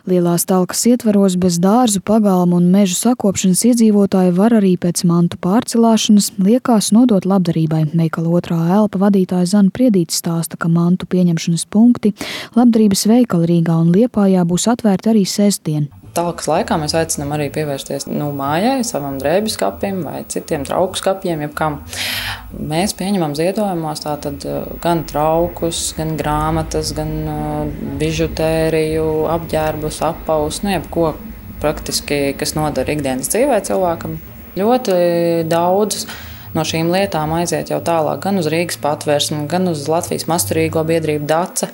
Lielās talkas ietvaros bez dārzu, pagalmu un mežu sakopšanas iedzīvotāji var arī pēc mantu pārcelāšanas liekās nodot labdarībai. Veikala otrā elpa vadītāja Zana Priedīte stāsta, ka mantu pieņemšanas punkti labdarības veikali Rīgā un Liepājā būs atvērti arī sestdien. Talkas laikā mēs aicinām arī pievērsties mājai, savam drēbju skapim vai citiem trauku skapiem, jebkam. Mēs pieņemam ziedojumos tātad gan traukus, gan grāmatas, gan bižutēriju, apģērbus, apaus, jebko praktiski, kas noder ikdienas dzīvē cilvēkam. Ļoti daudz no šīm lietām aiziet jau tālāk gan uz Rīgas Patvērsmi, gan uz Latvijas Masturīgo biedrību Dace,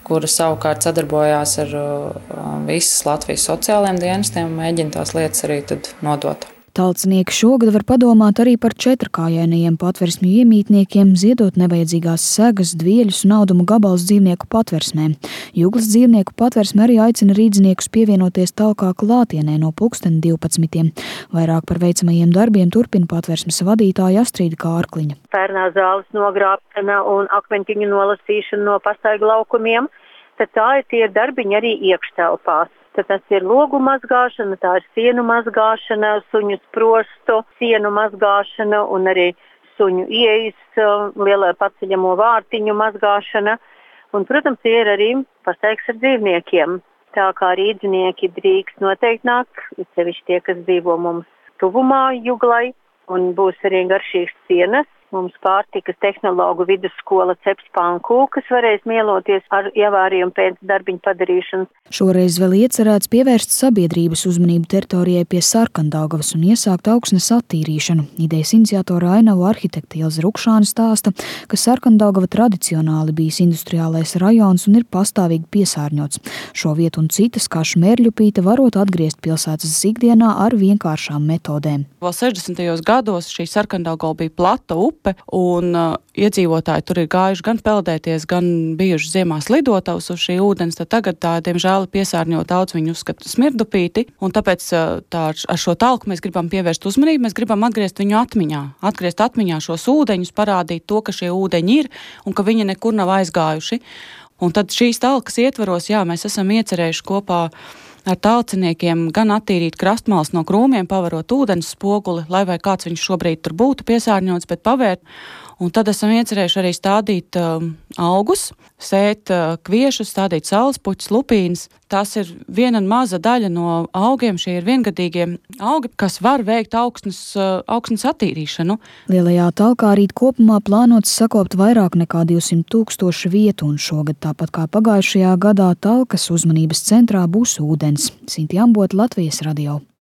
kura savukārt sadarbojās ar visas Latvijas sociālajiem dienestiem un mēģina tās lietas arī tad nodot. Talcinieki šogad var padomāt arī par četrkājainajiem patversmju iemītniekiem, ziedot nevajadzīgās segas, dvieļus un audumu gabalus dzīvnieku patversmēm. Juglas dzīvnieku patversme arī aicina rīdziniekus pievienoties talkā klātienē no 12. Vairāk par veicamajiem darbiem turpina patversmes vadītāja Astrīda Kārkliņa. Pērnā zāles nogrābšana un akmentiņu nolasīšana no pastaigu laukumiem, tad tie ir darbiņi arī iekštelpās. Tad tas ir logu mazgāšana, tā ir sienu mazgāšana, suņu sprostu, sienu mazgāšana un arī suņu ieejas lielā paceļamo vārtiņu mazgāšana. Un, protams, ir arī pastaigs ar dzīvniekiem. Tā kā rīdzinieki drīkst noteikti nāk, sevišķi tie, kas dzīvo mums tuvumā Juglai, un būs arī garšīgas sienas. Mums pārtikas tehnologu vidusskola ceps pankūkas varēs mieloties ar ievārījumu pēc darbiņu padarīšanas. Šoreiz vēl iecerēts pievērst sabiedrības uzmanību teritorijai pie Sarkandaugavas un iesākt augsnes attīrīšanu. Idejas iniciatora Ainavu arhitekte Ilze Rukšāne stāsta, ka Sarkandaugava tradicionāli bijis industriālais rajons un ir pastāvīgi piesārņots. Šo vietu un citas, kā Šmērļupīte, varot atgriezt pilsētas ikdienā ar vienkāršām metodēm. Vēl 60. gados šī Sarkandaugava bija plata upe, un iedzīvotāji tur ir gājuši gan peldēties, gan bijuši ziemās lidotavas uz šī ūdens, tad tagad tā, diemžēl, piesārņot daudz viņu uzskata Smirdupīti, un tāpēc ar šo talku mēs gribam pievērst uzmanību, mēs gribam atgriezt viņu atmiņā šos ūdeņus, parādīt to, ka šie ūdeņi ir un ka viņi nekur nav aizgājuši. Un tad šīs talkas ietvaros, mēs esam iecerējuši kopā ar talciniekiem gan attīrīt krastmals no krūmiem, pavarot ūdens spoguli, lai vai kāds viņš šobrīd tur būtu piesārņots, bet pavērt. Un tad esam iecerējuši arī stādīt augus, sēt kviešus, stādīt saulespuķus, lupīnas. Tas ir viena maza daļa no augiem, šie ir viengadīgie augi, kas var veikt augsnes attīrīšanu. Lielajā talkā rīt kopumā plānots sakopt vairāk nekā 200,000 vietu, un šogad tāpat kā pagājušajā gadā talkas uzmanības centrā būs ūdens. Sinti Ambota, Latvijas radio.